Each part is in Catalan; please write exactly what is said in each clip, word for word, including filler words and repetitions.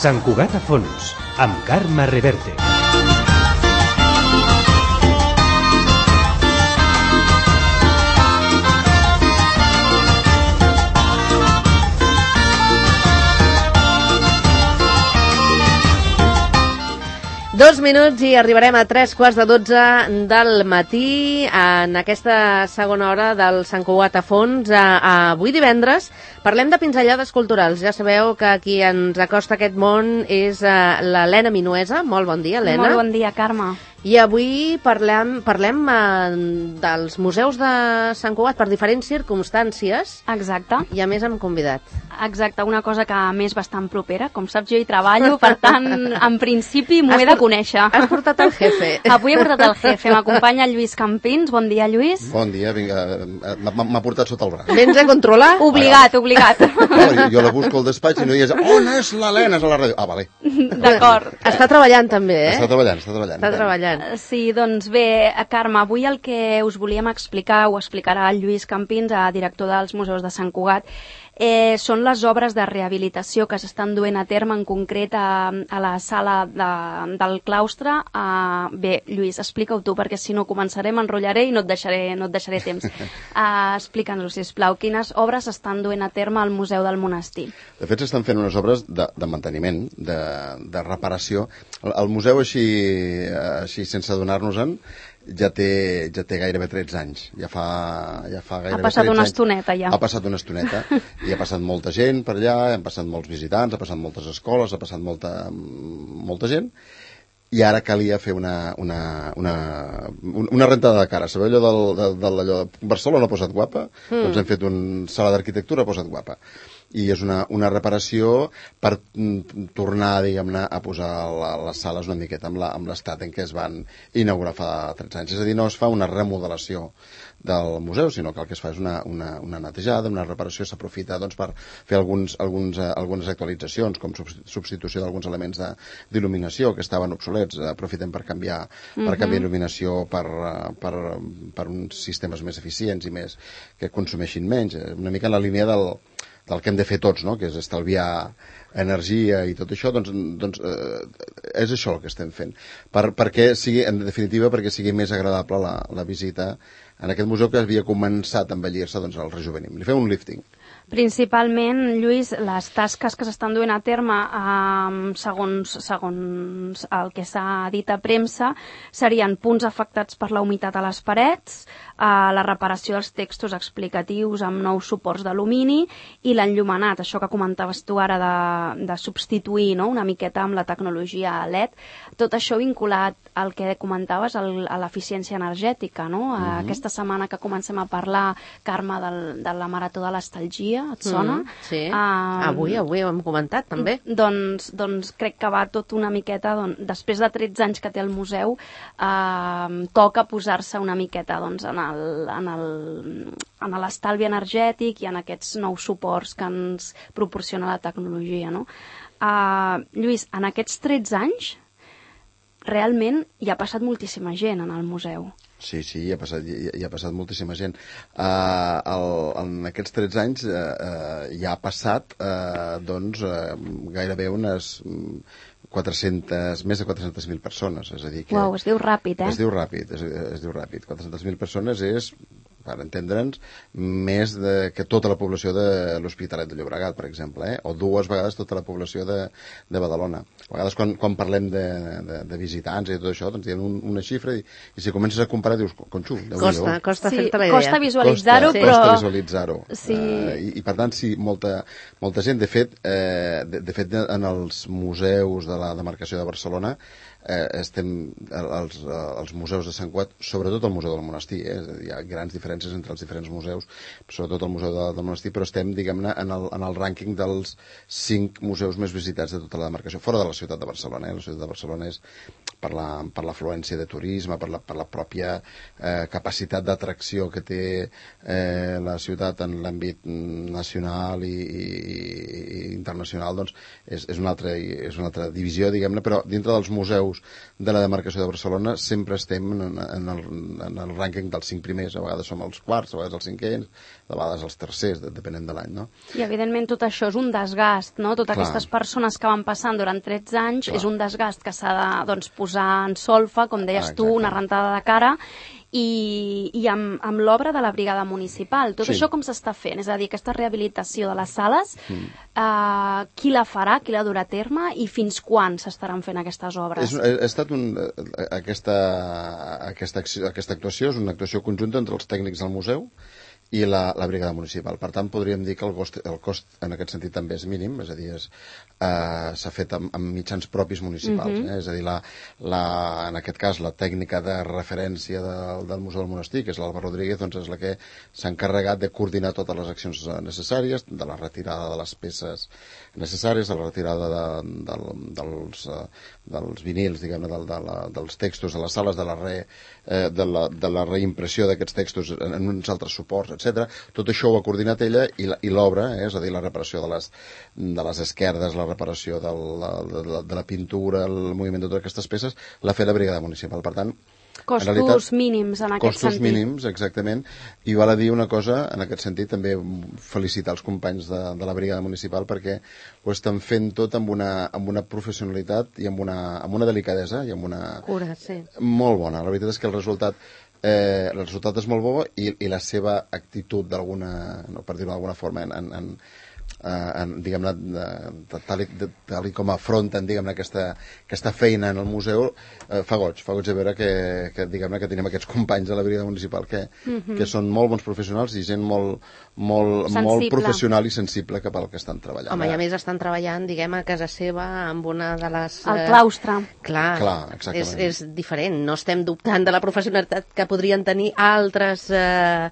Sant Cugat a fons, amb Carme Reverte. Dos minuts i arribarem a tres quarts de dotze del matí en aquesta segona hora del Sant Cugat a fons. Avui divendres parlem de pinzellades culturals. Ja sabeu que qui ens acosta a aquest món és l'Helena Minuesa. Molt bon dia, Helena. Molt bon dia, Carme. I avui parlem, parlem eh, dels museus de Sant Cugat per diferents circumstàncies. Exacte. I a més hem convidat. Exacte, una cosa que a més bastant propera. Com saps, jo hi treballo, per tant, en principi m'ho he de conèixer. Has portat el jefe. Avui he portat el jefe. M'acompanya Lluís Campins. Bon dia, Lluís. Bon dia, vinga. M'ha portat sota el braç. Vens a controlar? Obligat, obligat. No, jo la busco al despatx i no hi és... On és l'Helena? És a la ràdio. Ah, vale. D'acord. Està treballant també, eh? Està treballant, està treballant. Està treballant. Sí, doncs bé, Carme, avui el que us volíem explicar, ho explicarà el Lluís Campins, director dels Museus de Sant Cugat, eh, són les obres de rehabilitació que s'estan duent a terme, en concret a, a la sala de, del claustre. Uh, bé, Lluís, explica-ho tu, perquè si no començaré, m'enrotllaré i no et deixaré, no et deixaré temps. Uh, Explica'ns-ho, sisplau, quines obres s'estan duent a terme al Museu del Monestir? De fet, s'estan fent unes obres de, de manteniment, de, de reparació. El, el museu, així, així sense adonar-nos-en, ja té, ja té gairebé tretze anys. Ja fa, ja fa gairebé ha passat una anys. estoneta, ja. Ha passat una estoneta. I ha passat molta gent per allà, han passat molts visitants, ha passat moltes escoles, ha passat molta, molta gent. I ara calia fer una, una, una, una rentada de cara. Sabeu allò del, del, del allò de Barcelona ha posat guapa? Mm. Doncs hem fet una sala d'arquitectura ha posat guapa. I és una, una reparació per mm, tornar, diguem-ne, a posar la, les sales una miqueta amb l'estat en què es van inaugurar fa tretze anys. És a dir, no es fa una remodelació del museu, sinó que el que es fa és una, una, una netejada, una reparació, s'aprofita doncs, per fer alguns, alguns, eh, algunes actualitzacions, com substitució d'alguns elements d'il·luminació que estaven obsolets, aprofitem per canviar, uh-huh. per canviar il·luminació per, per, per uns sistemes més eficients i més que consumeixin menys, una mica en la línia del del que hem de fer tots, no? Que és estalviar energia i tot això, doncs, doncs eh, és això el que estem fent. Per, perquè sigui, en definitiva, perquè sigui més agradable la, la visita en aquest museu que havia començat a envellir-se, doncs el rejuvenim. Li fem un lifting. Principalment, Lluís, les tasques que s'estan duent a terme eh, segons, segons el que s'ha dit a premsa serien punts afectats per la humitat a les parets, eh, la reparació dels textos explicatius amb nous suports d'alumini i l'enllumenat, això que comentaves tu ara de, de substituir, no?, una miqueta amb la tecnologia L E D. Tot això vinculat al que comentaves, el, a l'eficiència energètica, no? Mm-hmm. Aquesta setmana que comencem a parlar, Carme, del, de la Marató de l'Estalgia, et sona? Mm, sí, uh, avui, avui ho hem comentat també. Doncs, doncs crec que va tot una miqueta, doncs, després de tretze anys que té el museu, uh, toca posar-se una miqueta doncs, en el, en el, en l'estalvi energètic i en aquests nous suports que ens proporciona la tecnologia, no? Uh, Lluís, en aquests tretze anys realment hi ha passat moltíssima gent en el museu. Sí, sí, hi ha passat, hi, hi ha passat moltíssima gent. Uh, el, en aquests tretze anys uh, uh, hi ha passat uh, doncs, uh, gairebé unes quatre-centes, més de quatre-centes mil persones. És a dir que Uau, es diu ràpid, eh? Es diu ràpid, es, es diu ràpid. quatre-centes mil persones és, per entendre'ns, més de, que tota la població de l'Hospitalet de Llobregat, per exemple, eh? O dues vegades tota la població de, de Badalona. A vegades quan, quan parlem de, de, de visitants i tot això, doncs hi ha un, una xifra i, i si comences a comparar dius, conxu, costa, costa sí, fer-te la idea. Costa visualitzar-ho, costa, però... Costa visualitzar-ho. Sí. Uh, i, I per tant, sí, molta, molta gent, de fet, eh, de, de fet, en els museus de la demarcació de Barcelona, eh, estem, els, els museus de Sant Cugat, sobretot el Museu del Monestir, eh, hi ha grans diferències entre els diferents museus, sobretot el Museu de, del Monestir, però estem, diguem-ne, en, el, en el rànquing dels cinc museus més visitats de tota la demarcació, fora de la ciutat de Barcelona. Eh? La ciutat de Barcelona és per la, per l'afluència de turisme, per la, per la pròpia eh, capacitat d'atracció que té eh, la ciutat en l'àmbit nacional i, i, i internacional, doncs és, és, una altra, és una altra divisió, diguem-ne, però dintre dels museus museus de la demarcació de Barcelona sempre estem en, en, el, en el rànquing dels cinc primers, a vegades som els quarts, a vegades els cinquens, a vegades els tercers, depenent de l'any, no? I evidentment tot això és un desgast, no? Totes Clar. aquestes persones que van passant durant tretze anys Clar. és un desgast que s'ha de doncs, posar en solfa, com deies Ah, tu, una rentada de cara, i, i amb, amb l'obra de la brigada municipal. Tot Sí. això com s'està fent? És a dir, aquesta rehabilitació de les sales, Mm. eh, qui la farà, qui la durà a terme i fins quan s'estaran fent aquestes obres? És, ha estat un, aquesta, aquesta, acció, aquesta actuació és una actuació conjunta entre els tècnics del museu i la, la brigada municipal. Per tant, podríem dir que el cost, el cost en aquest sentit també és mínim, és a dir, és, eh, s'ha fet amb, amb mitjans propis municipals. Mhm. eh? És a dir, la, la, en aquest cas, la tècnica de referència de, del Museu del Monestir, que és l'Alba Rodríguez, doncs és la que s'ha encarregat de coordinar totes les accions necessàries, de la retirada de les peces necessàries, de la retirada de, de, dels, eh, dels vinils, diguem-ne, de, de la, dels textos de les sales, de la, re, eh, de la, de la reimpressió d'aquests textos en, en uns altres suports, etcètera. Tot això ho ha coordinat ella i l'obra, eh, és a dir, la reparació de les, de les esquerdes, la reparació de la, de, la, de la pintura, el moviment de totes aquestes peces, l'ha fet la brigada municipal. Per tant, Costos en realitat, mínims en aquest costos sentit. mínims, exactament, i val a dir una cosa, en aquest sentit també felicitar els companys de, de la brigada municipal perquè ho estan fent tot amb una, amb una professionalitat i amb una, amb una delicadesa i amb una... Cura, sí. Molt bona. La veritat és que el resultat eh, el resultat és molt bo i, i la seva actitud d'alguna, no, per dir-ho d'alguna forma, en, en, en Uh, diguem-ne, de, tal, i, de, tal i com afronten, diguem-ne, aquesta, aquesta feina en el museu, uh, fa goig, fa goig de veure que, que diguem-ne, que tenim aquests companys de la brigada municipal que, Mhm. que són molt bons professionals i gent molt, molt, Sensible. molt professional i sensible cap al que estan treballant. Home, i a més estan treballant, diguem, a casa seva amb una de les... El eh, claustre. Clar, Clar, exactament. és, és diferent. No estem dubtant de la professionalitat que podrien tenir altres... Eh,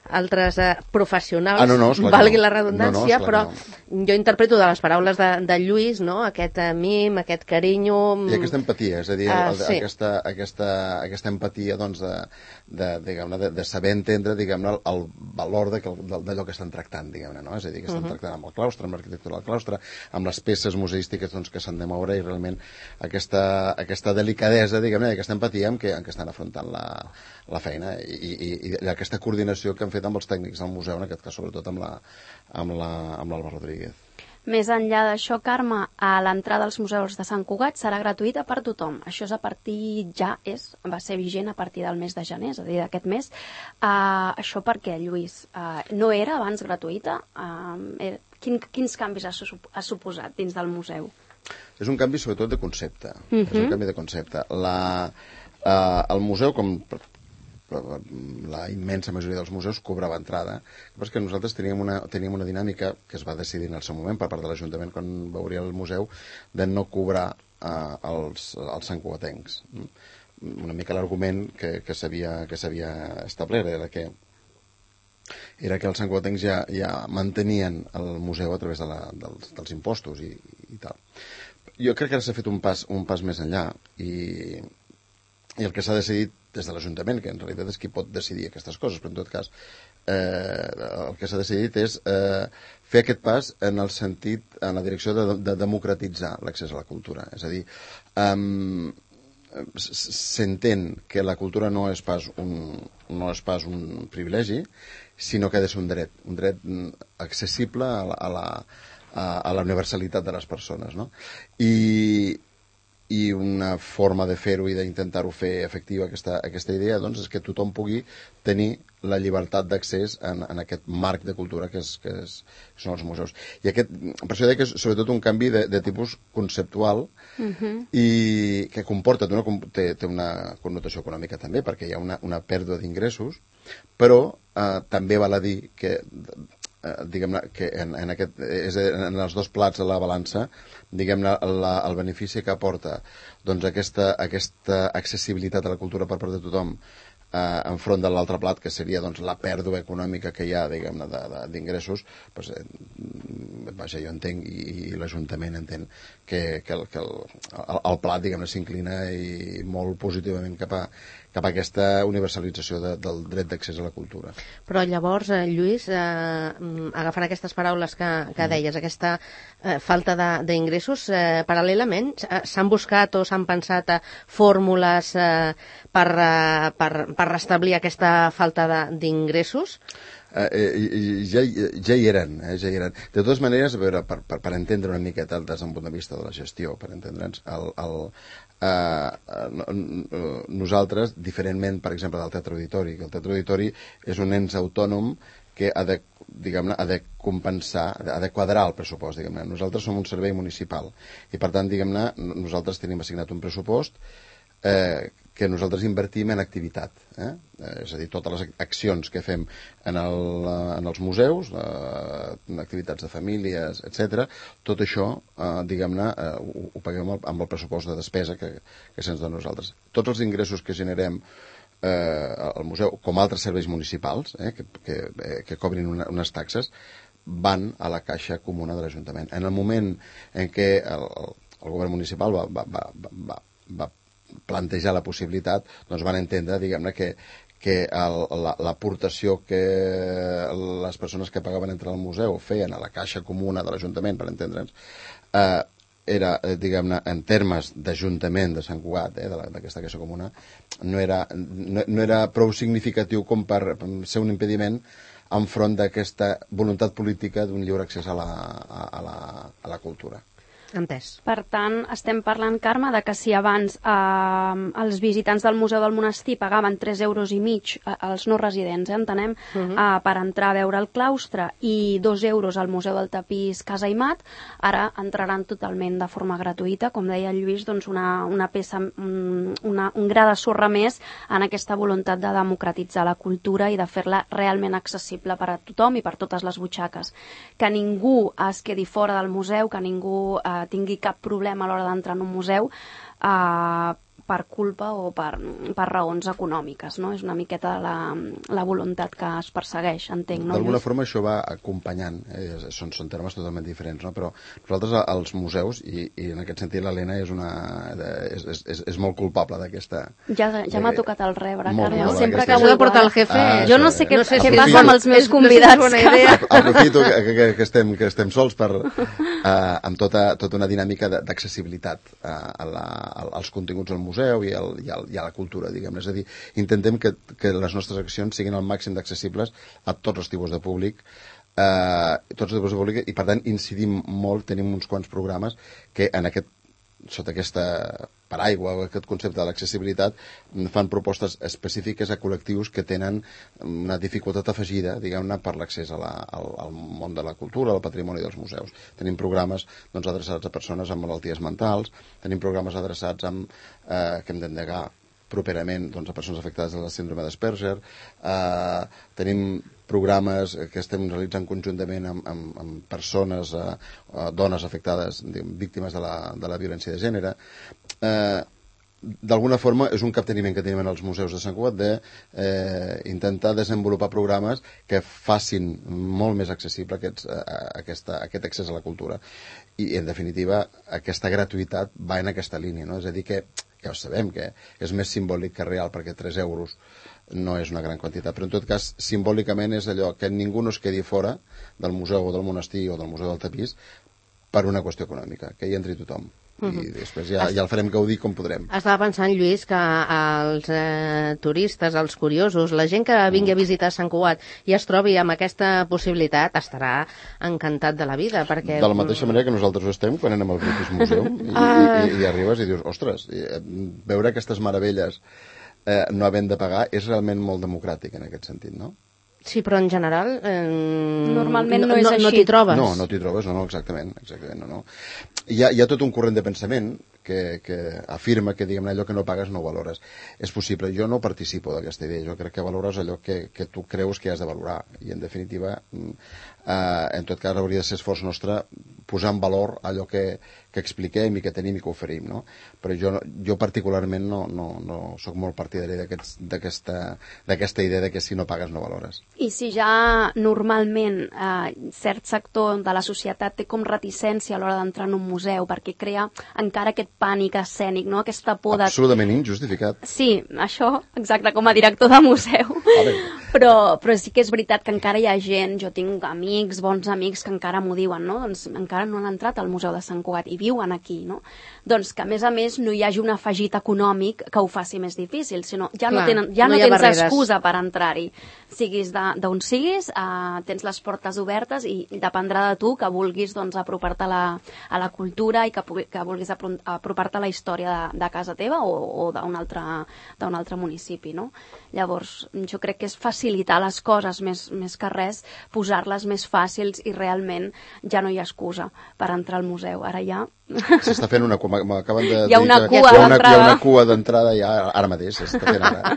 altres eh, professionals, Ah, no, no, esclar que valgui no. la redundància, No, no, esclar però que jo interpreto de les paraules de, de Lluís, no?, aquest eh, mim, aquest carinyo... I aquesta empatia, és a dir, Uh, el, sí. aquesta, aquesta, aquesta empatia doncs, de, de, diguem-ne, de, de saber entendre, diguem-ne, el, el valor de, d'allò que estan tractant, diguem-ne, no? És a dir, que estan Mhm. tractant amb el claustre, amb l'arquitectura del claustre, amb les peces museístiques doncs, que s'han de moure i realment aquesta, aquesta delicadesa, diguem-ne, i aquesta empatia amb què, amb què estan afrontant la, la feina i, i, i aquesta coordinació que han fet amb els tècnics del museu, en aquest cas sobretot amb la, amb la, amb l'Alba Rodríguez. Més enllà d'això, Carme, a l'entrada als museus de Sant Cugat serà gratuïta per tothom. Això és a partir, ja és, va ser vigent a partir del mes de gener, és a dir, d'aquest mes. Uh, això per què, Lluís? Uh, no era abans gratuïta? Uh, era, quin, quins canvis ha, su ha suposat dins del museu? És un canvi sobretot de concepte. Mhm. És un canvi de concepte. La, uh, el museu, com la immensa majoria dels museus, cobrava entrada. El que nosaltres teníem una, teníem una dinàmica que es va decidir en el seu moment per part de l'Ajuntament quan veuria el museu de no cobrar uh, els, els santcugatencs. Una mica l'argument que, que s'havia que s'havia establert era que era que els santcugatencs ja, ja mantenien el museu a través de la, dels, dels impostos i, i tal. Jo crec que ara s'ha fet un pas, un pas més enllà i, i el que s'ha decidit des de l'Ajuntament, que en realitat és qui pot decidir aquestes coses, però en tot cas eh, el que s'ha decidit és eh, fer aquest pas en el sentit, en la direcció de, de democratitzar l'accés a la cultura. És a dir, um, s'entén que la cultura no és pas un, no és pas un privilegi, sinó que ha de ser un dret, un dret accessible a la, a la, a la universalitat de les persones, no? I, i una forma de fer-ho i d'intentar-ho fer efectiva aquesta, aquesta idea doncs, és que tothom pugui tenir la llibertat d'accés en, en aquest marc de cultura que, és, que, és, que són els museus. I aquest, per això deia que és sobretot un canvi de, de tipus conceptual Uh-huh. i que comporta, una, té, té una connotació econòmica també, perquè hi ha una, una pèrdua d'ingressos, però eh, també val a dir que eh, diguem-ne que en, en, aquest, és en els dos plats de la balança, diguem-ne la, el benefici que aporta doncs, aquesta, aquesta accessibilitat a la cultura per part de tothom eh, enfront de l'altre plat, que seria doncs, la pèrdua econòmica que hi ha, diguem-ne, d'ingressos, doncs, eh, vaja, jo entenc, i, i l'Ajuntament entén que, que, el, que el, el, el plat, diguem-ne, s'inclina i molt positivament cap a, cap a aquesta universalització de, del dret d'accés a la cultura. Però llavors, eh, Lluís, eh, agafant aquestes paraules que, que deies, aquesta eh, falta d'ingressos, eh, paral·lelament eh, s'han buscat o s'han pensat eh, fórmules eh, per, eh, per, per restablir aquesta falta d'ingressos? Eh, eh, ja, ja hi eren, eh, ja hi eren. De totes maneres, a veure, per, per, per entendre una miqueta des d'un punt de vista de la gestió, per entendre'ns, el, el, eh, nosaltres, diferentment, per exemple, del Teatre Auditori, que el Teatre Auditori és un ens autònom que ha de, diguem-ne, ha de compensar, ha de quadrar el pressupost, diguem-ne. Nosaltres som un servei municipal i, per tant, diguem-ne, nosaltres tenim assignat un pressupost eh, que nosaltres invertim en activitat. Eh? És a dir, totes les accions que fem en, el, en els museus, eh, activitats de famílies, etcètera, tot això, eh, diguem-ne, eh, ho, ho paguem amb el pressupost de despesa que, que se'ns dona a nosaltres. Tots els ingressos que generem eh, al museu, com altres serveis municipals, eh, que, que, eh, que cobrin una, unes taxes, van a la caixa comuna de l'Ajuntament. En el moment en què el, el govern municipal va, va, va, va, va plantejar la possibilitat, doncs van entendre, diguem-ne, que, que l'aportació que les persones que pagaven entre el museu feien a la caixa comuna de l'Ajuntament, per entendre'ns, eh, era, diguem-ne, en termes d'Ajuntament de Sant Cugat, eh, d'aquesta caixa comuna, no era, no, no era prou significatiu com per ser un impediment enfront d'aquesta voluntat política d'un lliure accés a la, a la, a la cultura. Entès. Per tant, estem parlant, Carme, de que si abans eh, els visitants del Museu del Monestir pagaven tres euros i mig, eh, els no residents, eh, entenem, uh -huh. eh, per entrar a veure el claustre i dos euros al Museu del Tapís Casa Imat, ara entraran totalment de forma gratuïta, com deia el Lluís, doncs una, una peça, una, un gra de sorra més en aquesta voluntat de democratitzar la cultura i de fer-la realment accessible per a tothom i per totes les butxaques. Que ningú es quedi fora del museu, que ningú eh, tingui cap problema a l'hora d'entrar en un museu eh, per culpa o per, per raons econòmiques, no? És una miqueta la, la voluntat que es persegueix, entenc, no? D'alguna forma això va acompanyant, eh? són, són termes totalment diferents, no? Però nosaltres als museus, i, i en aquest sentit l'Helena és, una, és, és, és molt culpable d'aquesta... Ja, ja m'ha tocat el rebre, Carme, sempre que vull portar el jefe... Ah, jo no sé què, no sé què aprofito, passa amb els meus convidats. No sé si que... Aprofito que, que, que, estem, que estem sols per, uh, amb tota, tota una dinàmica d'accessibilitat uh, a la, als continguts del museu i al, i al i a la cultura, diguem-ne. És a dir, intentem que, que les nostres accions siguin al màxim d'accessibles a tots els tipus de públic, eh, tots els tipus de públic, i per tant incidim molt, tenim uns quants programes que en aquest, sota aquesta paraigua o aquest concepte de l'accessibilitat fan propostes específiques a col·lectius que tenen una dificultat afegida, diguem-ne, per l'accés a la, al, al món de la cultura, al patrimoni dels museus. Tenim programes doncs, adreçats a persones amb malalties mentals, tenim programes adreçats amb, eh, que hem d'endegar properament doncs, a persones afectades de la síndrome d'Asperger, eh, tenim programes que estem realitzant conjuntament amb, amb, amb persones, eh, dones afectades, diguem, víctimes de la, de la violència de gènere. Eh, D'alguna forma és un capteniment que tenim en els museus de Sant Cugat d'intentar eh, desenvolupar programes que facin molt més accessible aquests, eh, aquesta, aquest accés a la cultura. I, en definitiva, aquesta gratuïtat va en aquesta línia, no? És a dir, que ja ho sabem, que és més simbòlic que real, perquè tres euros no és una gran quantitat, però en tot cas, simbòlicament és allò que ningú no es quedi fora del museu o del monestir o del museu del Tapís per una qüestió econòmica, que hi entri tothom. Uh-huh. I després ja, ja el farem gaudir com podrem. Estava pensant, Lluís, que els eh, turistes, els curiosos, la gent que vingui a visitar Sant Cugat i es trobi amb aquesta possibilitat estarà encantat de la vida, perquè... De la mateixa manera que nosaltres ho estem quan anem al British Museum i, uh... i, i, i arribes i dius, ostres, i, veure aquestes meravelles eh, no havent de pagar és realment molt democràtic en aquest sentit, no? Sí, però en general... Eh, Normalment no, no és no, així. No t'hi trobes. No, no t'hi trobes, no, no, exactament. exactament no, no. Hi, ha, hi ha tot un corrent de pensament que, que afirma que, diguem-ne, allò que no pagues no ho valores. És possible, jo no participo d'aquesta idea, jo crec que valores allò que, que tu creus que has de valorar, i en definitiva, eh, en tot cas hauria de ser esforç nostre posar en valor allò que, que expliquem i que tenim i que oferim, no? Però jo, jo particularment no, no, no sóc molt partidari d'aquesta idea de que si no pagues no valores. I si ja normalment eh, cert sector de la societat té com reticència a l'hora d'entrar en un museu perquè crea encara aquest pànic escènic, no? Aquesta por de... Absolutament injustificat. Sí, això, exacte, com a director de museu. Però, però sí que és veritat que encara hi ha gent, jo tinc amics, bons amics que encara m'ho diuen, no? Doncs encara no han entrat al Museu de Sant Cugat i viuen aquí, no? Doncs que a més a més no hi hagi un afegit econòmic que ho faci més difícil, sinó ja no, Clar, tenen, ja no no hi ha tens barreres. excusa per entrar-hi. Siguis d'on siguis, eh, tens les portes obertes i dependrà de tu que vulguis doncs, apropar-te a, la, a la cultura i que, que vulguis apropar-te a la història de, de casa teva o, o d'un altre, d'un altre municipi, no? Llavors, jo crec que és facilitar les coses més, més que res, posar-les més fàcils i realment ja no hi ha excusa per entrar al museu. Ara ja... S'està fent una cua, m'acaben de hi ha una dir que cua hi ha una, d'entrada. hi ha una cua d'entrada ja ara mateix, s'està fent ara.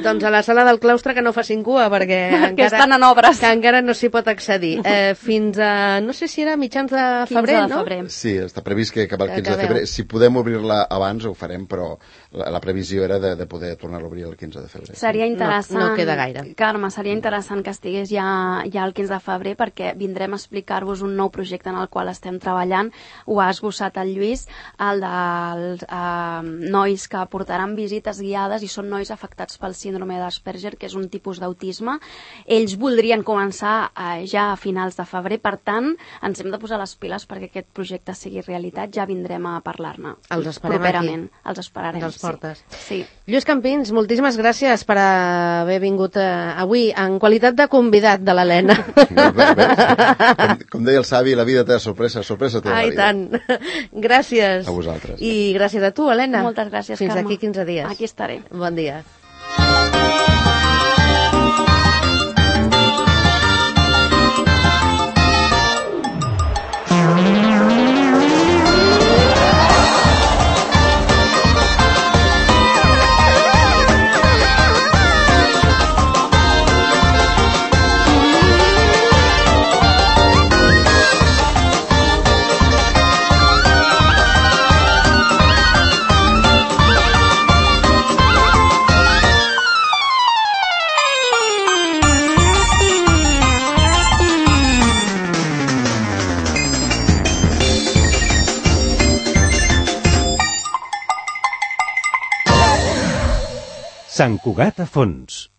Doncs a la sala del claustre que no facin cua, perquè que encara, estan en obres. que encara no s'hi pot accedir. Eh, fins a, no sé si era mitjans de febrer, quinze de no? febrer. Sí, està previst que cap al Que quinze de acabeu. febrer. Si podem obrir-la abans ho farem, però la, la previsió era de, de poder tornar-la a obrir el quinze de febrer. Seria interessant, No- no queda gaire. Carme, seria interessant que estigués ja, ja el quinze de febrer perquè vindrem a explicar-vos un nou projecte en el qual estem treballant. Ho ha esbossat el Lluís, el dels eh, nois que portaran visites guiades i són nois afectats pel síndrome d'Asperger, que és un tipus d'autisme. Ells voldrien començar eh, ja a finals de febrer, per tant, ens hem de posar les piles perquè aquest projecte sigui realitat. Ja vindrem a parlar-ne Els esperem properament. aquí. Els esperarem, Els portes. Sí. sí. Lluís Campins, moltíssimes gràcies per haver vingut eh, avui en qualitat de convidat de l'Helena. Com, com deia el savi, la vida té sorpresa, sorpresa té la Ai, vida. tant. Gràcies. A vosaltres. I gràcies a tu, Helena. Moltes gràcies, Fins Carme. aquí quinze dies. Aquí estaré. Bon dia. Sant Cugat a fons.